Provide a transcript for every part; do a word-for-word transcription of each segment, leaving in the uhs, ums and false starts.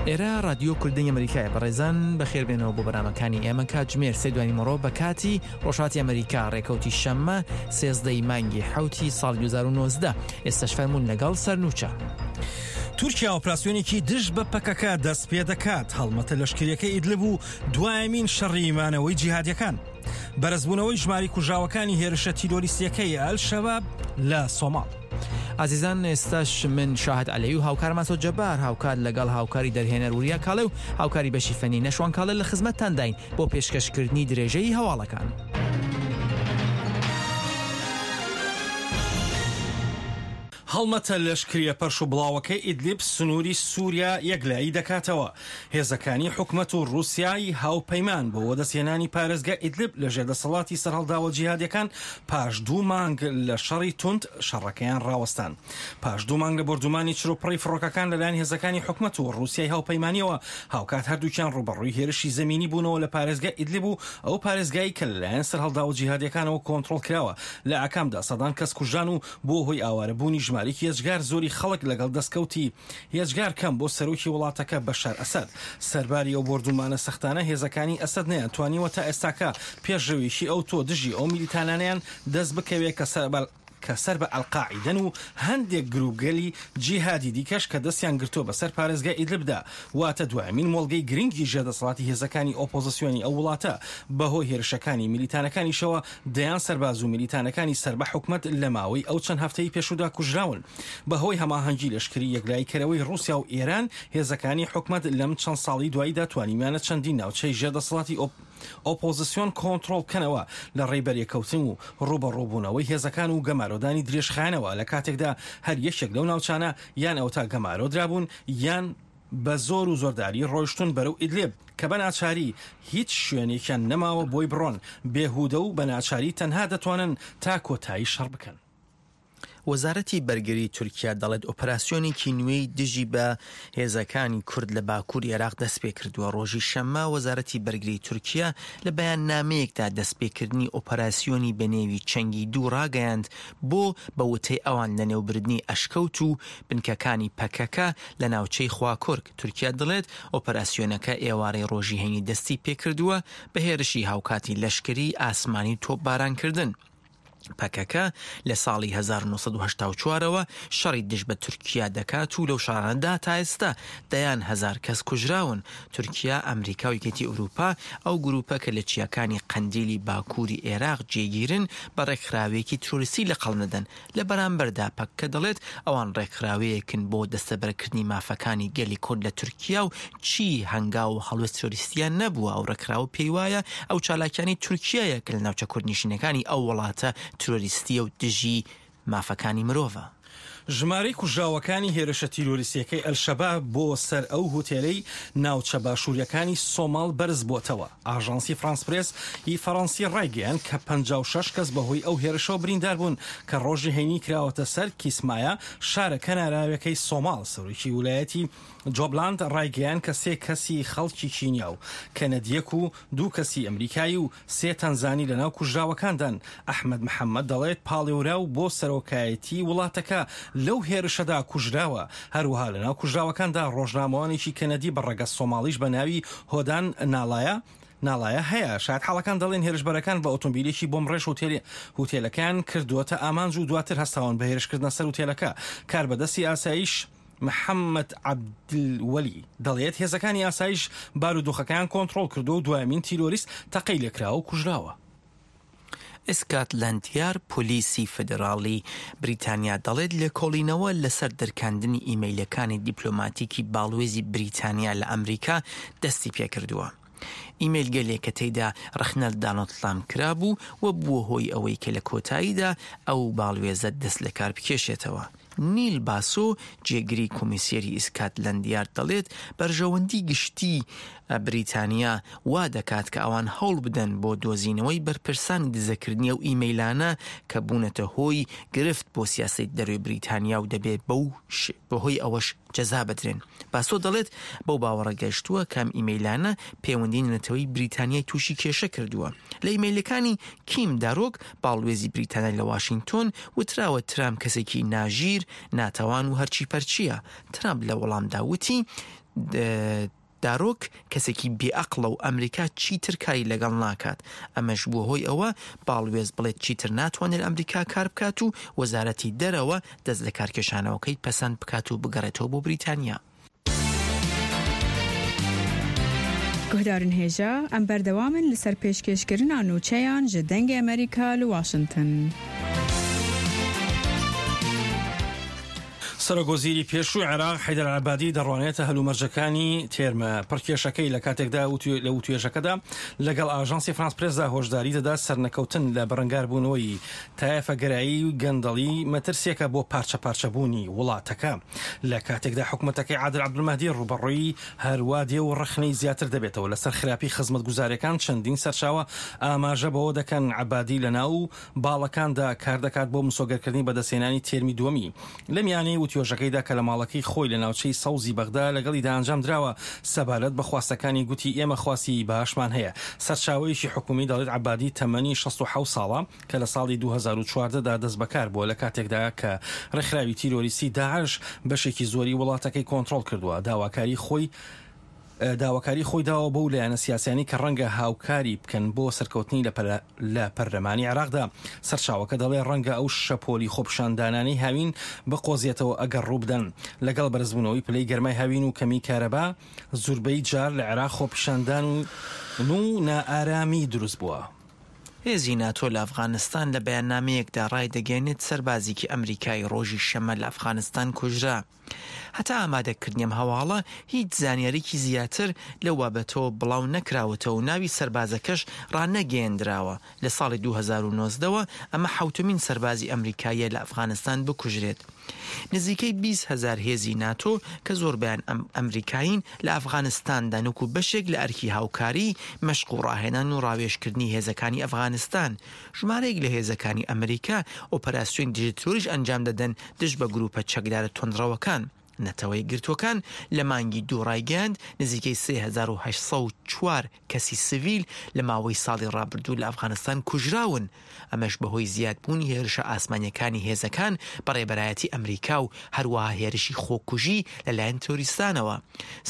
ئێرە رادیۆ کوردی ئەمریکایە. بەڕێزان بەخێربێنەوە بۆ بەرنامەکانی ئێمە. کاتژمێر سێ دوانی مڕۆ بە کاتی ڕۆژهەڵاتی ئەمریکا، ڕێکەوتی شەممە سێزدەی مانگی حوتی ساڵ دوو هەزار و نۆزدە. ئێستاش فەرموون لەگەڵ سەرنوچە. تورکیا ئۆپراسیۆنێکی دژ بە پەکەکە دەست پێ دەکات. هەڵمەتە لەشکریەکەی ئیدلب و دوایەمین شەڕی مانەوەی جیهادیەکان. بەرزبوونەوەی ژماری کوژاوەکانی هێرشە تیرۆریستیەکەی ئەلشەباب لە سۆماڵ. ئازیزان ئێستاش من شاهد عەلەوی و هاوکارمان سۆ جەبار هاوکار لەگەڵ هاوکاری دەرهێنەر وریا کاڵێ و هاوکاری بەشی فەنی نەشوان کاڵێ لە خزمەتتانداین بۆ پێشکەشکردنی درێژەی هەواڵەکان. هەڵمەتە لەشکریە پەرش و بڵاوەکەی ئیدلیب سنووری سووریا یەکلایی دەکاتەوە. هێزەکانی حکومەت و ڕووسیای هاوپەیمان بۆ وەدەستهێنانی پارێزگای ئیدلیب لەژێر دەسەڵاتی سەرهەڵداوە جیهادیەکان پاش دوو مانگ لە شەڕی توند شەڕەکەیان ڕاوەستان. پاش دوو مانگ لە بۆردومانی چروپڕی فڕۆکەکان لەلایەن هێزەکانی حکومەت و ڕووسیای هاوپەیمانیەوە، هاوکات هەردووکیان ڕووبەڕووی هێرشی زەمینی بوونەوە لە پارێزگای ئیدلیب و ئەو پارێزگایی کە لەلایەن سەرهەڵداوە جیهادیەکانەوە کۆنترۆڵ کراوە. لە ئاکامدا سەدان کەس کوژران و بۆ هۆی ئاوارەبوونی ژمارێکی هێجگار زۆری خەڵک لەگەڵ دەستکەوتی هێجگار کەم بۆ سەرۆکی وڵاتەکە بەشار ئەسەد. سەرباری ئەو بۆردومانە سەختانە هێزەکانی ئەسەد نەیانتوانیوە تا ئێستاکە پێشڕەویی ئەو تۆ دژی ئەو میلیتانانیان دەست بکەوێت کە سەر کە سەر بە ئەلقاعیدەن و هەندێک گروپگەلی جیهادی دیکەش کە دەستیان گرتووە بەسەر پارێزگای ئیدلبدا، واتە دوایەمین مۆڵگەی گرنگی ژێردەسەڵاتی هێزەکانی ئۆپۆزیسیۆنی ئەو وڵاتە. بەهۆی هێرشەکانی میلیتانەکانیشەوە دەیان سەرباز و میلیتانەکانی سەر بە حکومەت لە ماوەی ئەو چەند هەفتەی پێشوودا کوژراون. بەهۆی هەماهەنگی لەشکری یەکلاییکەرەوەی ڕووسیا و ئێران، هێزەکانی حکومەت لەم چەند ساڵی دواییدا توانیویانە چەندین ناوچەی ژێردەسەڵاتی ئۆپۆزیسیۆن کۆنترۆڵ بکەنەوە لە ڕێی بەرێکەوتن و ڕووبەڕووبوونەوەی هێزەکان و گەمارۆدانی درێژخایەنەوە، لە کاتێکدا هەر یەکێک لەو ناوچانە یان ئەوتا گەمارۆ درابوون یان بە زۆر و زۆرداری ڕۆیشتون بەرەو ئیدلیب کە بە ناچاری هیچ شوێنێکیان نەماوە بۆی بڕۆن، بێهودە و بە ناچاری تەنها دەتوانن تا کۆتایی شەڕ بکەن. وەزارەتی بەرگری تورکیا دەڵێت ئۆپەراسیۆنێکی نوێی دژی بە هێزەکانی کورد لە باکووری عێراق دەست پێکردووە. ڕۆژی شەممە وەزارەتی بەرگری تورکیا لە بەیاننامەیەکدا دەستپێکردنی ئۆپەراسیۆنی بەنێوی چەنگی دوو ڕاگەیاند بۆ بە وتەی ئەوان لەنێوبردنی ئەشکەوت و بنکەکانی پەکەکە لە ناوچەی خواکورک. تورکیا دەڵێت ئۆپەراسیۆنەکە ئێوارەی ڕۆژی هەینی دەستی پێکردووە بە هێرشی هاوکاتی لەشکری ئاسمانی و تۆپبارانکردن. پەکەکە لە ساڵی هەزار و نۆ سەد و هەشتا و چوارەوە شەڕی دژ بە تورکیا دەکات و لەو شەڕانەدا تا ئێستا دەیان هەزار کەس کوژراون. تورکیا، ئەمریکا و یەکێتی ئەوروپا ئەو گروپە کە لە چیاکانی قەندیلی باکووری عێراق جێگیرن بە ڕێکخراوێکی ترۆریستی لە قەڵەم دەدەن. لە بەرامبەردا پەکەکە دەڵێت ئەوان ڕێکخراوەیەکن بۆ دەستەبەرکردنی مافەکانی گەلی کورد لە تورکیا و چی هەنگاو و هەڵوێست ترۆریستیان نەبووە. ئەو ڕێکخراوە پێی وایە ئەو چالاکیانی تورکیایە کە لە ناوچە کوردنشینەکانی ئەو وڵاتە ترۆریستیە و دژی مافەکانی مرۆڤە. ژمارەی کوژراوەکانی هێرشە تیرۆریستیەکەی ئەلشەباب بۆ سەر ئەو هوتێلەی ناوچە باشووریەکانی سۆماڵ بەرز بۆتەوە. ئاژانسی فرانس پرێس ی فەڕەنسی ڕایگەیاند کە پەنجا و شەش کەس بەهۆی ئەو هێرشەوە بریندار بوون کە ڕۆژی هەینی کراوەتە سەر کیسمایا، شارە کەناراویەکەی سۆماڵ. سەرۆکی ولایەتی جۆبلاند ڕایگەیاند کە سێ کەسی خەڵکی کینیا و کەنەدیەک و دوو کەسی ئەمریکایی و سێ تەنزانی لەناو کوژراوەکاندان. ئەحمەد محەممەد دەڵێت پاڵێوراو بۆ سەرۆکایەتی وڵاتەکە لەو هێرشەدا کوژراوە. هەروەها لەناو کوژراوەکاندا ڕۆژنامەوانێکی کەنەدی بە ڕەگەز سۆماڵیش بە ناوی هۆدان ناڵایە ناڵایە هەیە. شایەتحاڵەکان دەڵێن هێرشبەرەکان بە ئۆتۆمبیلێکی بۆمڕێژ هوتێلەکەیان کردووەتە ئامانج و دواتر هەستاون بە هێرشکردنە سەر هوتێلەکە. کاربەدەستی ئاسایش محەممەد عەبدولوەلی دەڵێت هێزەکانی ئاسایش بارودۆخەکەیان کۆنترۆڵ کردو و دوایەمین تیرۆریست تەقەی لێکراوە و کوژراوە. ئسکاتلەندیار پۆلیسی فیدراڵی بریتانیا دەڵێت لێکۆڵینەوە لەسەر دەرکاندنی ئیمەیلەکانی دیپلۆماتیکی باڵوێزی بریتانیا لە ئەمریکا دەستی پێکردووە. ئیمەیلگەلێک کە تێیدا ڕەخنە لە دانۆڵد ترامپ کرابوو و بووە هۆی ئەوەی کە لە کۆتاییدا ئەو باڵوێزە دەست لە کار بکێشێتەوە. نیل باسۆ جێگری کۆمیسیەری ئیسکاتلەندیارد دەڵێت بەرژەوەندی گشتی بریتانیا وا دەکات کە ئەوان هەوڵ بدەن بۆ دۆزینەوەی بەرپرسانی دزەکردنی ئەو ئیمەیلانە کە بوونەتە هۆی گرفت بۆ سیاسەتی دەرەوەی بریتانیا و دەبێت بەو بەهۆی ئەوەش جەزا بدرێن. باسۆ دەڵێت بەو باوەڕە گەشتووە کام ئیمەیلانە پەیوەندی نەتەوەی بریتانیای تووشی کێشە کردووە. لە ئیمەیلەکانی کیم دارۆک باڵوێزی بریتانیا لە واشنگتۆن وتراوە ترامپ کەسێکی ناژیر، ناتەوان و هەرچی پەرچیە. ترامپ لە وەڵامدا وتی دارۆک کەسێکی بێئەقڵە و ئەمریکا چیتر کاری لەگەڵ ناکات. ئەمەش بووە هۆی ئەوە باڵوێز بڵێت چیتر ناتوانێت ئەمریکا کار بکات و وەزارەتی دەرەوە دەست لە کارکێشانەوەکەی پەسەند بکات و بگەڕێتەوە بۆ بریتانیا. گوهدارن هێژا ئەم بەردەوامن لەسەر پێشکێشکردنا نوچەیان ji دەنگê ئەمریکا li واشنگتن. سەرۆک وەزیری پێشووی عێراق حەیدەر عەبادی دەڕوانێتە هەلومەرجەکانی تێرمە پڕکێشەکەی لە کاتێکدا لە وتوێژەکەدا لەگەڵ ئاژانسی فرانس پرێسدا هۆشداری دەدا سەرنەکەوتن لە بەرەنگاربوونەوەی تایەفەگەرایی و گەندەڵی مەترسیەکە بۆ پارچە پارچەبوونی وڵاتەکە. لە کاتێکدا حکوومەتەکەی عادل عەبدولمەهدی ڕووبەڕووی هەروادێ و ڕەخنەی زیاتر دەبێتەوە لەسەر خراپی خزمەتگوزاریەکان، چەندین سەرچاوە ئاماژە بەوە دەکەن عەبادی لە ناو باڵەکاندا کار دەکات بۆ مسۆگەرکردنی بەدەستهێنانی تێرمی دووەمی. لە میانەی وتوێژەکەیدا کە لە ماڵەکەی خۆی لە ناوچەی سەوزی بەغدا لەگەڵیدا ئەنجام دراوە، سەبارەت بە خواستەکانی گوتی ئێمە خواستی باشمان هەیە. سەرچاوەیەکی حکومی دەڵێت عەبادی تەمەنی شەست و حەوت ساڵە کە لە ساڵی دوو هەزار و چواردە دا دەست بەکار بووە، لە کاتێکدا کە ڕێکخراوی تیرۆریستی داعش بەشێکی زۆری وڵاتەکەی کۆنترۆڵ کردووە. داواکاری خۆی داواکاری خۆی داوە بەو لایەنە سیاسیانی کە ڕەنگە هاوکاری بکەن بۆ سەرکەوتنی لە پەرلەمانی عێراقدا. سەرچاوەکە دەڵێ ڕەنگە ئەو شەپۆلی خۆپیشاندانانەی هاوین بقۆزێتەوە ئەگەر ڕووبدەن. لەگەڵ بەرزبوونەوەی پلەی گەرمای هاوین و کەمی کارەبا زوربەی جار لە عێراق خۆپیشاندان و نائارامی دروست بووە. هێزی ناتۆ لە ئەفغانستان لە بەیاننامەیەکدا ڕایدەگەیەنێت سەربازێکی ئەمریکایی ڕۆژی شەممە لە ئەفغانستان کوژرا. هەتا ئامادەکردنی ئەم هەواڵە هیچ زانیاریکی زیاتر لەو بابەتەوە بڵاو نەکراوەتەوە و ناوی سەربازەکەش ڕانەگەیەندراوە. لە ساڵی دوو هەزار و نۆزدە ئەمە حەوتمین سەربازی ئەمریکاییە لە ئەفغانستان بکوژرێت. نزیکەی بیست هەزار هێزی ناتۆ کە زۆربیان ئەمریکایین لە ئەفغانستاندا وەکو بەشێک لە ئەرکی هاوکاری مەشق و ڕاهێنان و ڕاوێژکردنی هێزەکانی ئەفغانستان. ژمارەیەک لە هێزەکانی ئەمریکا ئۆپەراسیۆن دژە تیرۆریش ئەنجام دەدەن دژ بە گروپە چەکدارە توندڕەوەکان. نەتەوە یەکگرتووەکان لە مانگی دوو ڕایگەیاند نزیکەی سێ هەزار و هەشت سەد و چوار کەسی سڤیل لە ماوەی ساڵی ڕابردوو لە ئەفغانستان کوژراون. ئەمەش بەهۆی زیادبوونی هێرشە ئاسمانیەکانی هێزەکان بە ڕێبەرایەتی ئەمریکا و هەروەها هێرشی خۆکوژی لەلایەن تیرۆریستانەوە.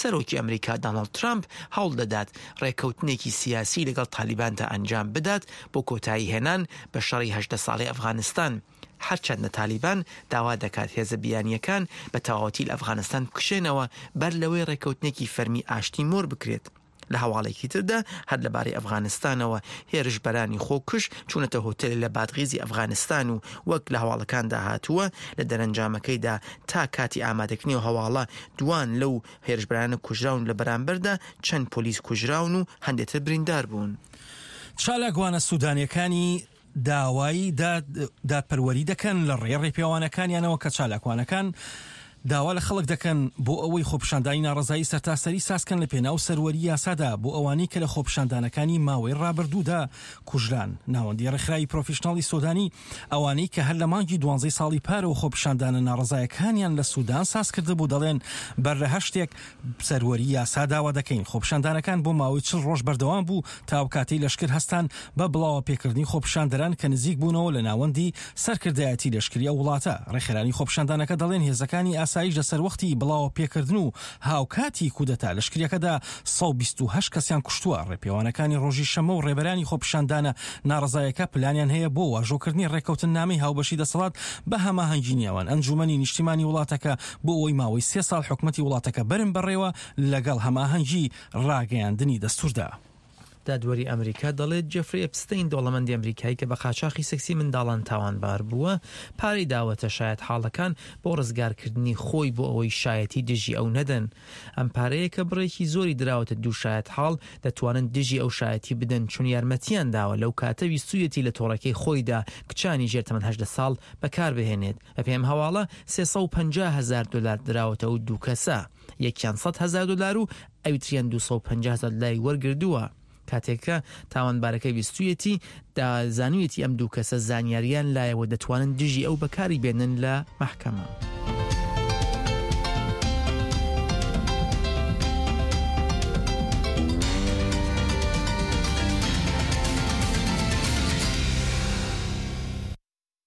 سەرۆکی ئەمریکا داناڵد ترامپ هەوڵ دەدات ڕێککەوتنێکی سیاسی لەگەڵ تالیباندا ئەنجام بدات بۆ کۆتایی هێنان بە شەڕی هەژدە ساڵی ئەفغانستان. هەرچەندە تالیبان داوا دەکات هێزە بیانیەکان بە تەواوەتی لە ئەفغانستان بکشێنەوە بەر لەوەی ڕێککەوتنێکی فەرمی ئاشتی مۆر بکرێت. لە هەواڵێکی تردا هەر لەبارەی ئەفغانستانەوە هێرشبەرانی خۆکوژ چوونەتە هۆتێل لە بادغیزی ئەفغانستان و وەک لە هەواڵەکاندا هاتووە لە دەرەنجامەکەیدا تا کاتی ئامادەکردنی و هەواڵە دوان لەو هێرشبەرانە کوژراون، لە بەرامبەردا چەند پۆلیس کوژراون و هەندێتر بریندار بوون. چالاکوانە سوودانیەکانی داوای دادپەروەری دەکەن لە ڕێ ڕێپێوانەکانیانەوە کە چالاکوانەکان داوا لە خەڵک دەکەن بۆ ئەوەی خۆپیشاندانی ناڕەزایی سەرتاسەری سازکەن لە پێناو سەروەری یاسادا بۆ ئەوانەی کە لە خۆپیشاندانەکانی ماوەی ڕابردوودا کوژران. ناوەندی ڕێکخراوی پرۆفیشناڵی سۆدانی ئەوانەی کە هەر لە مانگی دوانزەی ساڵی پارەوە خۆپیشاندانە ناڕەزایەکانیان لە سودان ساز کردبوو دەڵێن بەر لە هەر شتێک سەروەری یاسا داوا دەکەین. خۆپیشاندانەکان بۆ ماوەی چل ڕۆژ بەردەوام بوو تا ئەو کاتەی لەشکر هەستان بە بڵاوە پێکردنی خۆپیشاندەران کە نزیک بوونەوە لە ناوەندی سەرکردایەتی لەشکری ئەو وڵاتە. ڕێکخەرانی خۆپیشاندانەکە دەڵێن هێزەکانی ئاسایش لەسەر وەختی بڵاوە پێکردن و هاوکاتی کودەتا لەشکریەکەدا سەد و بیست و هەشت کەسیان کوشتووە. ڕێپێوانەکانی ڕۆژی شەممە و ڕێبەرانی خۆپیشاندانە ناڕەزایەکە پلانیان هەیە بۆ واژۆکردنی ڕێککەوتننامەی هاوبەشی دەسەڵات بە هەماهەنگی نێوان ئەنجومەنی نیشتیمانی وڵاتەکە بۆ ئەوەی ماوەی سێ ساڵ حکومەتی وڵاتەکە بەرن بەڕێوە لەگەڵ هەماهەنگی ڕاگەیاندنی دەستوردا. دادوەری ئەمریکا دەڵێت جێفری ئەپستین دەوڵەمەندی ئەمریکایی کە بە قاچاخی سێکسی منداڵان تاوانبار بووە پارەی داوەتە شایەت حاڵەکان بۆ ڕزگارکردنی خۆی بۆ ئەوەی شایەتی دژی ئەو نەدەن. ئەم پارەیە کە بڕێکی زۆری دراوەتە دوو شایەت حاڵ دەتوانن دژی ئەو شایەتی بدەن چون یارمەتیان داوە لەو کاتە ویستویەتی لە تۆڕەکەی خۆیدا کچانی ژێر تەمەن هەژدە ساڵ بەکاربهێنێت. بەپێی ئەم هەواڵە سێ سەد و پەنجا هەزار دلار دراوەتە ئەو دوو کەسە، یەکیان سەد هەزار دلار و ئەوی تریان دوو سەد و پەنجا هەزار دلاری وەرگردووە. کاتێکە تاوانبارەکە ویستویەتی زانویەتی ئەم دوو کەسە زانیاریان لایەوە دەتوانن دژی ئەو بەکاری بێنن لە مەحکەمە.